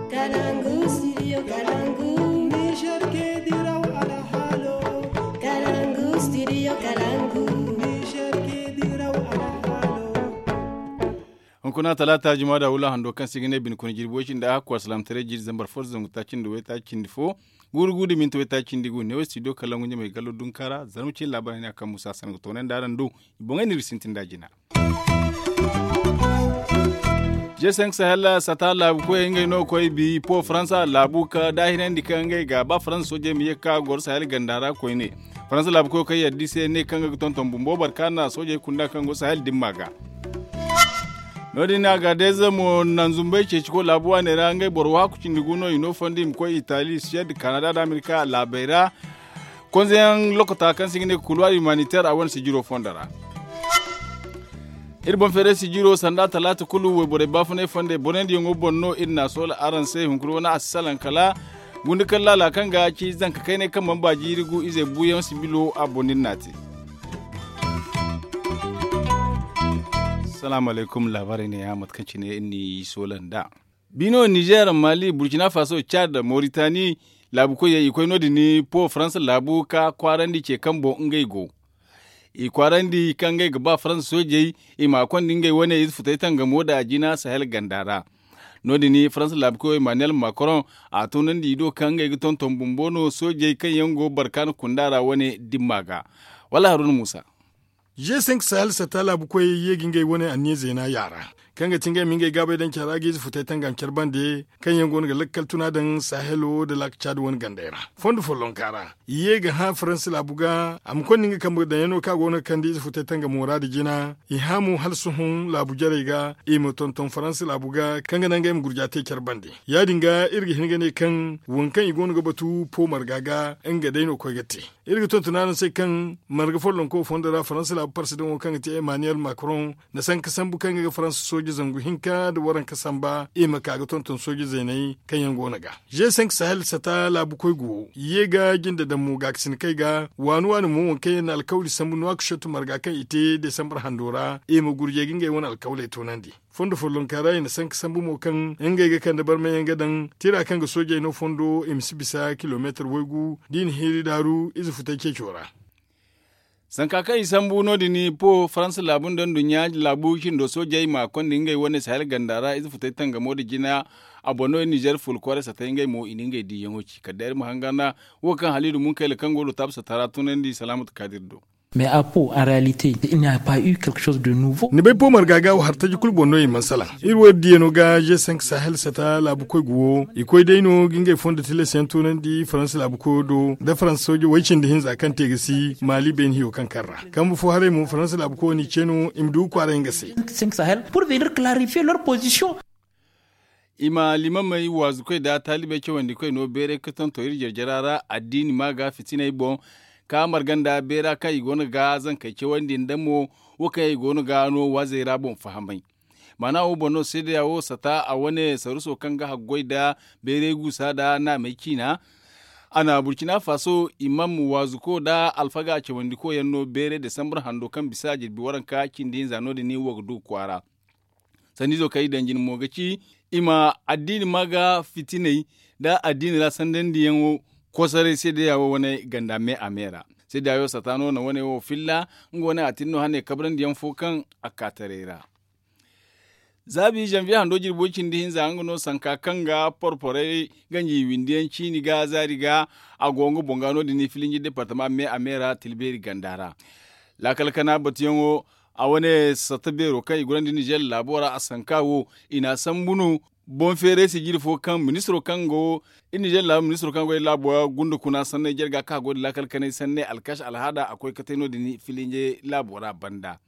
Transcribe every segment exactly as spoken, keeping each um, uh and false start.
Kalangu, studio Kalangu. Niger ke diraw alhalo. Kalangu, studio Kalangu. Niger ke diraw alhalo. Hunkuna talaata, juma da wula hando kaŋ se i ga ne bine kuna jirbi way cindi a hakku, alsilaamataray jiiri zambar fo, zangu taaci nda waytaaci cindi fo, guuru gu da minti waytaaci cindi gu, neewo studio Kalangu ɲamay gallo dunka ra, zarma ciine laabaarey ne a kaŋ Musa Hassan ga toonandi araŋ do. I boŋey no iri sintin da jina. G cinq Sahel sata laabu koyey ngey no ga koy bi po Faransa laabu ka daahirandi kaŋ ngey ga ba Faransa soojey ma ye ka goro Sahel ganda ra koyne. Faransa laabu koyo kaŋ yadda i se ne kaŋ ga tonton bumbo barkaana soojey kunda kaŋ go Sahel dimma ga. No-din Agadez mo naŋ zumbay ceeci ko laabu waaney ra ngey boro waaku cindi gu no i no fondo i ma koy Itali, Siyad, Kanada nda Amerika laabey ra. Konzeyaŋ lokota kaŋ se i ga ne couloir humanitaire a wane sijiro fondo ra. Iri boŋ feeray sijiro sanda talaata kulu wayborey baafunay fondey borey nda yaŋo boŋ no iri n'a soola araŋ se hunkuna wane a si salaŋ kala gunda kaŋ laala kaŋ ga ci zanka kaynay kaŋ mana ba jiiri gu izey buuyaŋ sibilo a boŋ no iri n'a te. Salaamu alaykum, laabaarey ne ya mate kaŋ cine iri n'i soola nd'a. Bino, Nizer, Mali, Burkina Faso, Cad, Moritani laabu koyey i koy no-din po Faransa laabu ka kwaarandi ce kaŋ boŋ ngey go. I kwaarandi kaŋ ngey ga ba Faransa soojey i ma a konda ngey wane ize futay tangamo da jina Sahel ganda ra. No-din Faransa laabu koyo Emmanuel Macron a tunandi i do kaŋ ngey ga tonton bumbo no soojey kaŋ yaŋ go barkaana kunda ra wane dimma ga. Wala Haruna Musa. G cinq Sahel sata laabu koyey ye ga ngey wane anniya zeena yaara kaŋ ga ti ngey ma ngey gaabay daŋ care ra ga ize futay tangam care bande kaŋ yaŋ go no ga lakkal tuna daŋ Sahelo nda laaka Cad wane gandey ra. Fondo follonka ra i ye ga hã Faransa laabu ga a ma konda nga kambe daŋyaŋo kaŋ a go no ga kande ize futay tangamo ra nda jina. I hã mo hala sohõ laabu jarey ga i ma tonton Faransa laabu ga kaŋ ga naŋ ngey ma gurja te care bande. Ya-din ga iri ga hin ga ne kaŋ waŋ kaŋ i go no ga batu po marga ga nga day no koy ga te. Iri ga tonton araŋ se kaŋ marga follonko fondo ra Faransa laabu parsidaŋo kaŋ ga ti Emmanuel Macron na sanka sambu kaŋ ga Faransa sooje zangu hinka nda waranka samba i ma ka ga tonton sooje zeeney kaŋ yaŋ go no ga. G cinq Sahel sata laabu koy go ye ga jinde daŋ mo gaakasina kay ga waani waani mo waŋ kaŋ yaŋ na alkawli sambu Nouakchott marga kaŋ i te desambar hando ra i ma gurjey ga ngey wane alkawley toonandi. Fondo follonka ra i na sanka sambu mo kaŋ ngey ga kande barmayaŋ ga daŋ tira kaŋ ga soojey no fondo i ma si bisa kilomeetar waygu da i na hiiri daaru ize futay ceeco ra. Sanka kaŋ i sambu no-din po Faransa laabu nda nduɲɲa laabu cindo soojey ma konda ngey wane Sahel ganda ra ize futay tangamo nda jina. A boŋ no Nizer fula kwaara satay ngey mo i na ngey diiyaŋo ci kala day iri ma hangan wo kaŋ Halidu Munkayla kaŋ go Lotaabu sata ra tunandi Salaamatu Kaadir do. Mais à Pau en réalité il n'y a pas eu quelque chose de nouveau. Ni bay po marga ga wo har taji kulu boŋ no i mana salaŋ. Iri wo iri diya no ga G cinq Sahel sata laabu koy ga wo i koy day no ga ngey fondo tilas yaŋ tunandi Faransa laabu koyo do nda Faransa sooje way cindi hinza kaŋ te ga si Mali beene hiyo kaŋ kar ra. Kambe fo haray mo Faransa laabu koyo n'i ce no i ma du ga kwaara nga se. G cinq Sahel pour venir clarifier leur position. I ma liimamey waazukoy nda taalibey cawandi koy no beeray ka tonton iri jarjara ra addiini ma ga fitiney boŋ. Ka marga nda beera kaŋ i go no ga zankey cawandi nda mo wo kaŋ i go no ga no waazey ra boŋ fahamay. Maana wo boŋ no seedeya wo sata a wane saruso kaŋ ga haggoy nda beeray guusa nda naamey ciina. A na Burkina Faso imam waazuko nda alfaga cawandiko yaŋ no beeray desambar hando kaŋ bisa jirbi waranka cindi hinza no-din wo ga du kwaara. Sanniizo kaŋ i daŋ jina mo ga ci i ma addiini ma ga fitiney nda addiini ra sandandiyaŋo kosoray seedeya wo wane ganda me a me ra. Seedeya wo sata no na wane wo filla nga wane a tin no hane kabrandiyaŋ fo kaŋ a ka taray ra. Zaabi zanviye hando jirbo cindi hinza nga no sanka kaŋ ga porporay ganji windiyaŋ ciini ga zaari ga a go nga boŋ ga no-din filinji departama me a me ra tilbeeri ganda ra. Laakal kana batuyaŋo a wane satta beero kaŋ i gorandi nizer laabo ra a sanka wo i n'a sambu no. Boŋ feeray sijiri fo kaŋ ministiro kaŋ go nizer laabo ministiro kaŋ go laabo ra gunda kuna sanney jarga kaŋ a go da laakal kanay sanney alkash alhaada a koy ka te no-din filinje laabo ra banda.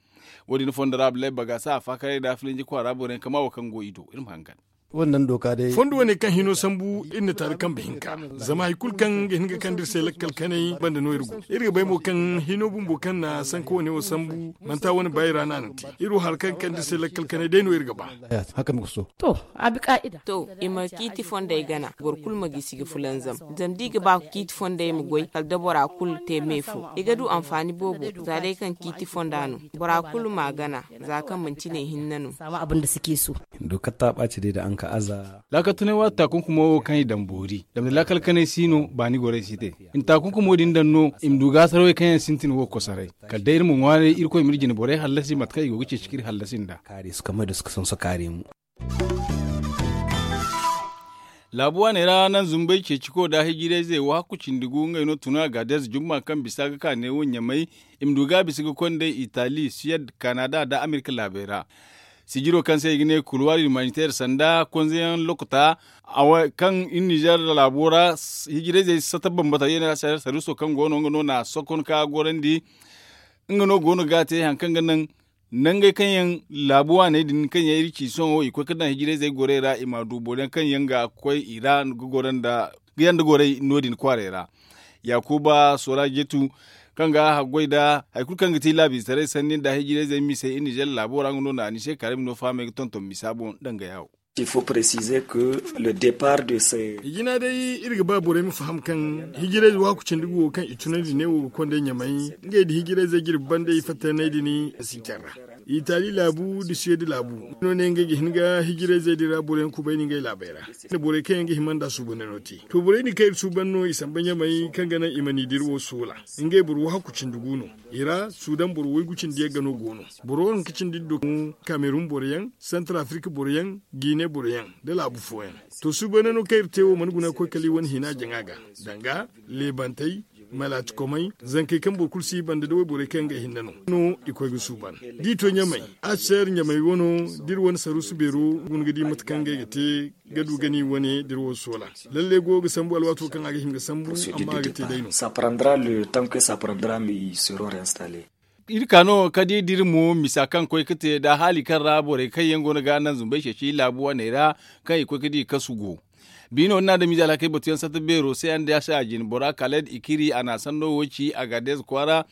Wo-din fondo ra abdullahi bagasa a faakaray nda filinje kwaara borey kama wo kaŋ go i do iri ma hangan. Fondo wane kaŋ hino sambu iri na taali kambe hinka zama hari kulu kaŋ ga hin ga kande iri se lakkal kanay banda no iri go. Iri ga bay mo kaŋ hino bumbo kaŋ na sanka wane wo sambu manti a wane baayi ra no a na te. Iri wo hari kaŋ ga kande iri se lakkal kanay day no iri ga ba. To, a bi kaa'ida. To, i ma ciiti fondey gana boro kulu ma gisi ga fulanzam. Zama da i ga ba ciiti fondey ma goy kala da bora kulu te me fo i ga du anfaani boobo. Za day kaŋ ciiti fonda no bora kulu m'a gana. Za kaŋ manti ne hinne no. Doka ta ɓaaci day da an Ka aza. Laakal tunay waati taakunkumo wo kaŋ i daŋ boori zama da laakal kanay si no baani gorey si te. I na taakunkumo din daŋ no i ma du gaasarawey kaŋ yaŋ sintin wo kosoray. Kala day iri ma ŋwaaray irkoy ma iri jine borey hallasi mate kaŋ i go ga ceeci ka iri hallasi nd'a. Kaari su kamay da suka sonso kaari mo. Laabu waaney ra naŋ zumbay ceeciko nda hijirayzey wo hakku cindi gu ngey no tun a ga deeze jumma kaŋ bisa ga ka neewo ɲamay. I ma du ga a bisa ga konday itali siyad kanada nda amerika laabey ra. Sijiro kaŋ se i ga ne kulwaari humanitaire sanda konzeyaŋ lokota kaŋ iri nizer laabo ra hijirayzey sata bambata yeena saruso kaŋ go no nga no na sokon ka gorandi. Nga no go no ga a te hari kaŋ ga naŋ nangey kaŋ yaŋ laabu waaney din kaŋ yaŋ iri ci sohõ i koy ga daŋ hijirayzey gorey ra i ma du boro yaŋ kaŋ yaŋ ga koy i ra ga goro nda ga yaŋ da gorey no- din kwaaray ra. Yaakuba sora jetu kaŋ ga haggoy nda hari kulu kaŋ ga ti laabiizetaray sanni nda hijirayzey misey iri nizer laabo ra nga no na anise karim no fahamey ga tonton misa boŋ danga yaawo. I faut préciser que le départ de ces. I jina day iri ga ba borey ma faham kaŋ hijirayze waaku cindi gu wo kaŋ i tunandi ne wo ga konday ɲamay ngey nda hijirayze jirbi banda i fattay nay din. S'i care ra itali laabu nda suwedi laabu no ne ngey ga hin ga hijirayzey din ra borey yaŋ kubay no ngey laabey ra. Borey kaŋ yaŋ ga hima nda suubaney no te to borey din kaŋ iri suuban no i samba ɲamay kaŋ ga naŋ i ma ni dira wo soola. Ngey boro waaku cindi gu no i ra suudan boro waygu cindi yaŋ ga no go no. Boro waranka cindi dira do kamerun boro yaŋ santar afirika boro yaŋ, gine boro yaŋ nda laabu fooyaŋ. To suubaney no kaŋ iri te wo mana guna ga koy kala i wane hina jaŋa ga danga leebantey, malaatikomey, zankey kaŋ boro kulu si i banda nda wayborey kaŋ yaŋ ga ay hinne no no i koy ga suuban. Da i to ɲamay, a si seer ɲamay wano da iri wane saruusu beero guna ga di mate kaŋ ngey ga te ga du ga ni wane da iri wo soola. Lalle goyo ga sambu alwaato kaŋ a ga hima ga sambu amma a ga te day no. Iri ka no ka di da iri mo misa kaŋ koy ga te nda haali kaŋ ra borey kaŋ yaŋ go no ga naŋ zumbay ceeci laabu waney ra kaŋ i koy ga di kasu go. Biino ni na adamize alhakey batuyaŋ satta beero se yaŋ da a se a jine bora kala da i kiri a na sanno wo ci a ga deeze kwaara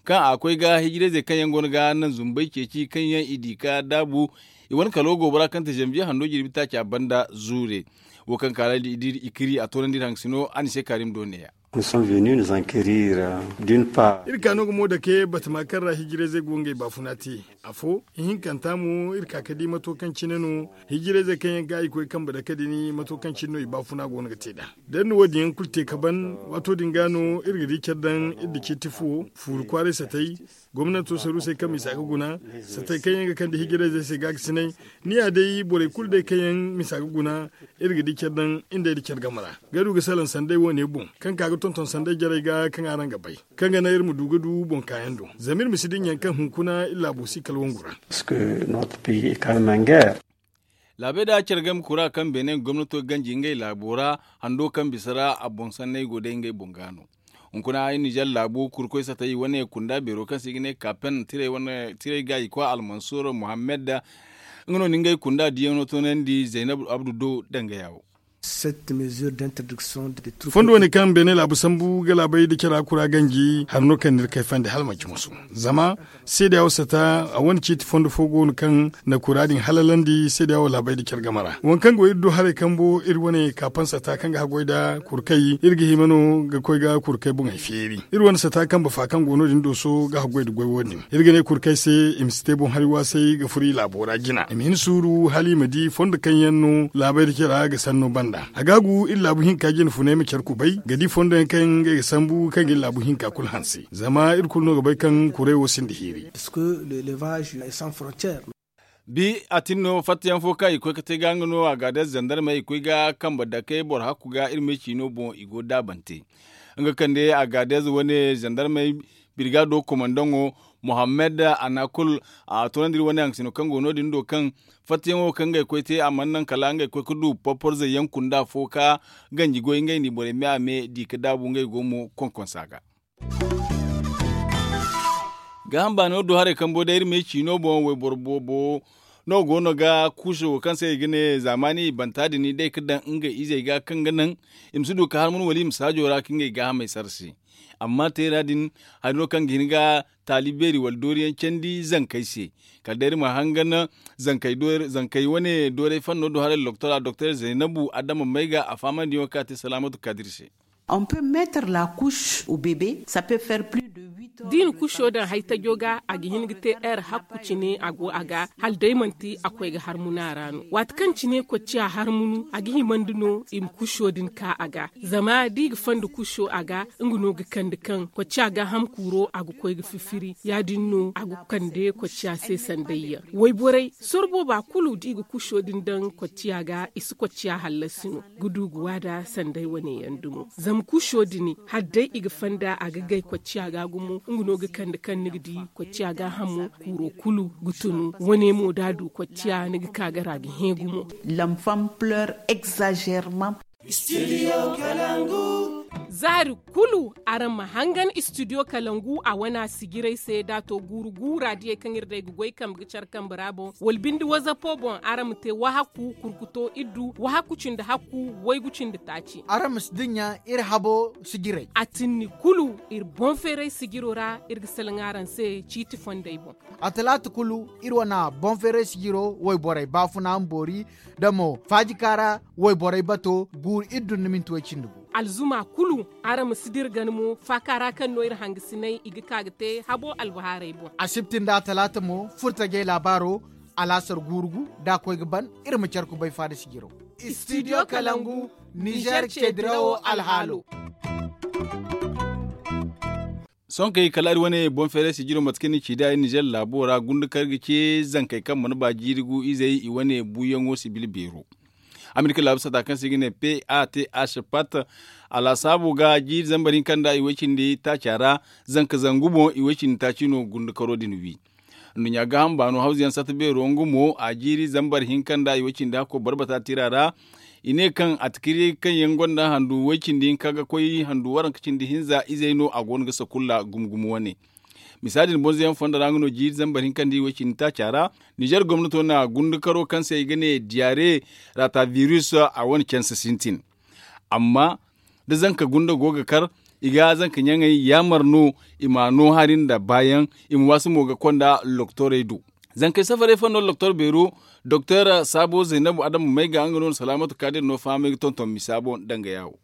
kaŋ a koy ga hijirayzey kaŋ yaŋ go no ga naŋ zumbay ceeci kaŋ yaŋ i di ka daabu. I wane kalo goobora kaŋ te zanbiye hando jirbi taaca banda zuure wo kaŋ kala da i kiri a toonandi iri haŋ ga sino a ni se kaarim do neeya. Iri ka no ga mo dake batama kaŋ ra hijirayzey go ngey baafuna te. Afo ihinkanta mo iri ka ga di mato kaŋ cine no hijirayzey kaŋ yaŋ ga i koy kambe dake din mato kaŋ cine no i baafuna go no ga te nd'a. Da iri na wo- din yaŋ kulu te ka ban waato din ga no iri ga di care daŋ iri da ciiti fo fuuru kwaaray satay gomnanto saruusey kaŋ misa ga guna satay kaŋ yaŋ ga kande hijirayzey se gaakasinay. Ni ya day borey kulu day kaŋ yaŋ misa ga guna iri ga di care daŋ iri day da care game ra ga du ga salaŋ sanday wo- ne boŋ kaŋ ka ga tonton sanday jarey ga kaŋ araŋ ga bay kaŋ ga naŋ iri ma du ga du boŋ kaayaŋ do zama iri ma si dinya kaŋ hunkuna iri laabo si kala wangu ra. Laabey da care game kura kaŋ beene gomnato ganji ngey laabo ra hando kaŋ bisa ra a boŋ sanney go day ngey boŋ ga no. Hunkuna iri nizer laabo kurkoy satay wane kunda beero kaŋ se i ga ne kaapen tirey ga i kwa almansur muhammad. Nga no na ngey kunda diyaŋo toonandi zaynab abdu do danga yaawo. Fondo wane kaŋ beene laabu sambu ga laabay da cara kura ganji hari no kaŋ ni iri kayfandi hala manci musu. Zama seedeya wo sata a wane ciiti fondo fo go no kaŋ na kura din halalandi seedeya wo laabay da care game ra waŋ kaŋ go iri do haray kambo iri wane kaapan sata kaŋ ga haggoy nda kurkay iri ga hima no ga koy ga kurkay boŋey feeri. Iri wane sata kambe fa kaŋ go no- din dooso ga haggoy nda goy wo- din iri ga ne kurkay se i ma si te boŋ hari waasay ga furo i laabo ra jina i ma hin suuru hala i ma di fondo kaŋ yaŋ no laabay da care ga sanno banda a ga a gu iri laabu hinka jina funay ma care kubay ga di fondo yaŋ kaŋ ngey ga sambu kaŋ ga iri laabu hinka kulu hanse zama iri kulu no ga bay kaŋ kuray wo sinda hiiri. Bi a tin no fattayaŋ fo kaŋ i koy ga te ga nga no a ga day zandarmey i koy ga kambe dake boro hakku ga iri me ciino boŋ i go daabante. Nga kande a ga day wane zandarmey birgado komandaŋo muhammad anakul a toonandi iri wane haŋ sino kaŋ go no- din do kaŋ fattayaŋo kaŋ ngey koy te a mana naŋ kala ngey koy ga du porporzey yaŋ kunda fo ka ganji goy ngey n'i borey me a me di ga daabu ngey go mo konkonsa ga. Gaaham baano do haray kambo day iri ma ay ciino boŋ wayboro boobo no go no ga kuuso wo kaŋ se i ga ne zaamaani i banta din day ga daŋ ngey izey ga kaŋ ga naŋ i ma si du ga harman wala i ma saajo ra ka ngey gaahamey sara se. Amma teera din hari no kaŋ ga hin ga taali beeri wala dooriyaŋ candi zankey se. Kala day iri ma hangan zankey wane dooray fanno do haray loktora doktor zaynabu adama may ga a faamandiyaŋo kaŋ a te salaamatu kadir se. On peut mettre la couche au bébé, ça peut faire plus de huit heures. Da i na kuso daŋ haytajo ga, a ga hin ga te heure hakku cine a go a ga, hala day manti a koy ga harmunu a ra no. Waati kaŋ cine kocciya harmunu, a ga himandi no i ma kuso din ka a ga. Zama da i ga fanda kuso a ga, nga no ga kande kaŋ kocciya gaaham kuuro a ga koy ga fifiri. Ya-din no a ga kande kocciya se sandayyaŋ. Wayborey, sorbo ba kulu da i ga kuso din daŋ kocciya ga, i si kocciya hallasi no. Ga du ga waada sanday wane yaŋ dumo. Zama kuso din, hala day i ga fanda a ga gay kocciya ga gumo, nga no ga kande kaŋ ni ga di kocciya gaahamo kuuro kulu ga tunu. Wane mo da a du kocciya, ni ga ka ga ra ga hẽ gumo. L'enfant pleure exagérément. Studio Kalangu. Zaari kulu araŋ ma hangan studio kalangu a wana sijiray se da a to guuru guura diyey kaŋ iri day ga goy kambe ga care kambe ra boŋ wala binde wazapo boŋ araŋ ma te wahaku kurkuto iddu wahaku cindi hakku waygu cindi taaci. Araŋ ma si dinya iri habo sijiray a tinni kulu iri boŋ feeray sijiro ra iri ga salaŋ araŋ se ciiti fondey boŋ. A talaata kulu iri wana boŋ feeray sijiro wayborey baafuna ma boori da mo faajika ra wayborey bato guuru iddu nda minti way cindi gu. Alzuma kulu araŋ ma si dira gana mo faaka ra kaŋ no iri hangasinay i ga ka ga te habo albahaarey boŋ. Asibti nda talaata mo furtajey laabaaro alaasar guuru gu da a koy ga ban iri ma care kubay faada sijiro. Studio kalangu nizer ce dirawo alhaalo. Sohõ kay kala iri wane boŋ feeray sijiro mate kaŋ ni ci da iri nizer laabo ra gunda kaŋ iri ga ce zankey kaŋ mana ba jiiri gu izey i wane buuyaŋo sibil beero. Amerika laabu sata kaŋ se i ga ne p a t h pat a laasaabo ga jiiri zambar hinka nda i way cindi taaca ra zanka zangu boŋ i way cindi taaci no gunda karo din wi. Nduɲɲa gaaham baano hawzu yaŋ sata beero nga mo a jiiri zambar hinka nda i way cindi hakko barbata tira ra. I ne kaŋ a tikiri kaŋ yaŋ gonda handu way cindi hinka ga koy handu waranka cindi hinza izey no a go no ga sakulla gumo gumo wane. Misa din bonzo yaŋ fondo ra nga no jiiri zambar hinka nda i way cindi taaca ra. Nizer gomnato na gundukaro kaŋ se i ga ne diyare rata virus a wane canse sintin. Amma da zanka gunda go ga kar i ga zanka ɲaŋey yaamar no i ma no hari nda baayaŋ i ma waasi mo ga konda loktorey do. Zankey safarey fondo loktor beero doktor saabo zaynabu adama may ga nga no na salaamatu kaadir no fahamay ga tonton misa boŋ danga yaawo.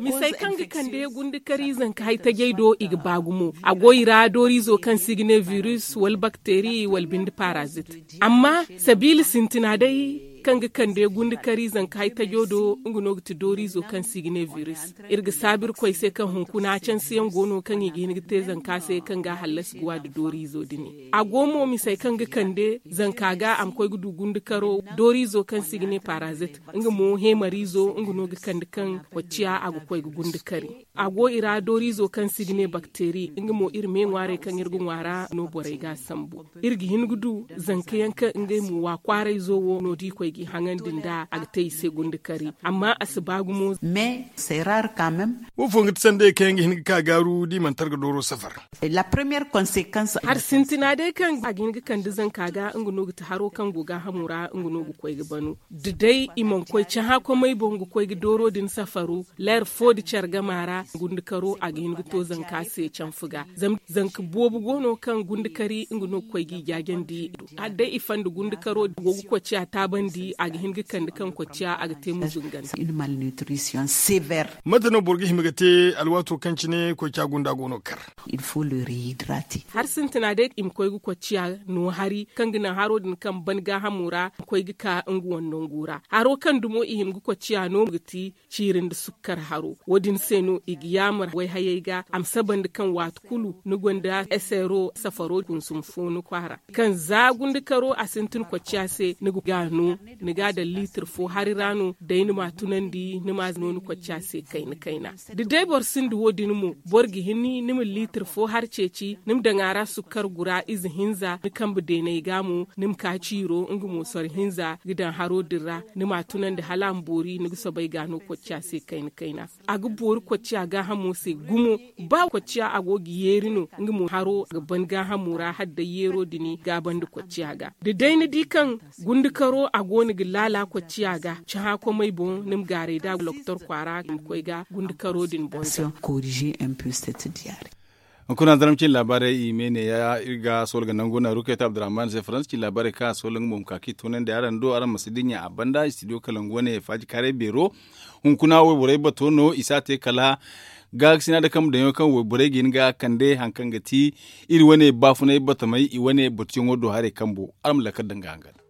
Misey kaŋ ga kande gundukari zanka haytajey do i ga ba gumo a go i ra dooriizo kaŋ se i ga ne virus wala bakteri wala binde parazit. Amma sabiila sintina day kaŋ ga kande gundukari zanka haytajo do nga no ga ti dooriizo kaŋ se i ga ne virus. Iri ga saabu irkoy se kaŋ hunkuna cansiyaŋ go no kaŋ i ga hin ga te zanka se kaŋ ga a hallasi ga wa nda dooriizo din. A go mo misey kaŋ ga kande zanka ga a ma koy ga du gundukaro dooriizo kaŋ se i ga ne parazit. Nga mo heemariizo nga no ga kande kaŋ kocciya a ga koy ga gundukari. A go i ra dooriizo kaŋ se i ga ne bakteri nga mo iri me ŋwaarey kaŋ iri ga ŋwaara no borey ga a sambu. Iri ga hin ga du zanka yaŋ kaŋ ngey mo wa kwaarayzo wo no da i koy ga i haŋandi nda a ga te i se gundukari. Amma a si ba gumo. Mais c'est rare quand même. Wo fo ga ti sandey kaŋ yaŋ ga hin ga ka gaaru da i mana targa dooro safar. La première conséquence hari sintina day kaŋ a ga hin ga kande zanka ga nga no ga ti haro kaŋ go gaahamo ra nga no ga koy ga banu. Da day i mana koy cahã komey boŋ ga koy ga dooro din safaro leer fo da care gama ra gundukaro a ga hin ga to zanka se canfu ga. Zama zanka boobo go no kaŋ gundukari nga no ga koy ga i jaajandi. Hala day i fanda gundukaro go ga kocciya taabandi a ga hin ga kande kaŋ kocciya a ga te muzungante. Mate no boro ga hima ga te alwaato kaŋ cine kocciya gunda go no ga kar? Hari sintina day i ma koy ga kocciya no hari kaŋ ga naŋ haro din kaŋ ban gaahamo ra ma koy ga ka nga wane nangu ra haro kaŋ dumo i hima ga kocciya no ga ti ciiri nda sukkar haro. Wo- din se no i ga yaamar wayhayey ga a ma saba nda kaŋ waati kulu ni gonda esero safaro kunsum fo ni kwaara kaŋ za gundukaro a sintin kocciya se ni ga no ni ga a daŋ liitir fo hari ra no day ni ma a tunandi ni ma a no ni kocciya se kayna kayna. Da day boro sinda wo- din mo boro ga hin ni ma liitir fo hari ceeci ni ma daŋ a ra sukkar gura ize hinza ni kambe deeney ga mo ni ma ka ciiro nga mo soro hinza ga daŋ haro din ra ni ma a tunandi hala a ma boori ni ga soobay ga no kocciya se kayna kayna. A ga boori kocciya gaahamo se gumo. Ba kocciya a go ga yeeri no nga mo haro ga ban gaahamo ra hala day yeero din gaabandi kocciya ga. Da day ni di kaŋ gundukaro a go no ga laala kocciya ga cahã komey boŋ ni ma gaaray da loktor kwaara ma koy ga gundukaro din boŋ. Corriger un peu cette diarrhée. Hunkuna zarma cine laabaarey i me ne ya iri ga sohõ ga nangu naaru kay ta abdurrahman se faransa cine laabaarey kaŋ a sohõ ga mo ma ka kaŋ i toonandi araŋ do araŋ ma si dinya a banda istidiyo kalangu wane faaji kaaray beero. Hunkuna wayborey bato no i si a te kala gaakasina nda kambe daŋ yaŋo kaŋ wayborey ga hin ga kande hari kaŋ ga ti iri wane baafunay batamey i wane batuyaŋo do haray kambo araŋ ma lakkal daŋ ga hangan.